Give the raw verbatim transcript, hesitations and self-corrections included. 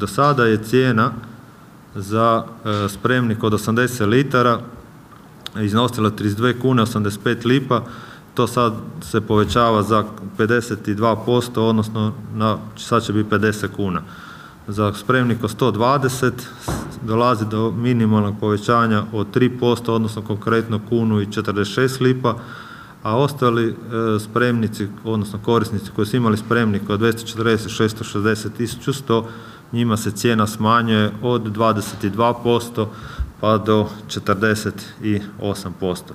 do sada je cijena za spremnik od osamdeset litara iznosila trideset dvije kune osamdeset pet lipa, to sad se povećava za pedeset dva posto, odnosno na, sad će biti pedeset kuna. Za spremnik od sto dvadeset dolazi do minimalnog povećanja od tri posto, odnosno konkretno kunu i četrdeset šest lipa, a ostali e, spremnici, odnosno korisnici koji su imali spremnik od dvjesto četrdeset, šesto šezdeset, tisuću sto, njima se cijena smanjuje od dvadeset dva posto pa do četrdeset osam posto.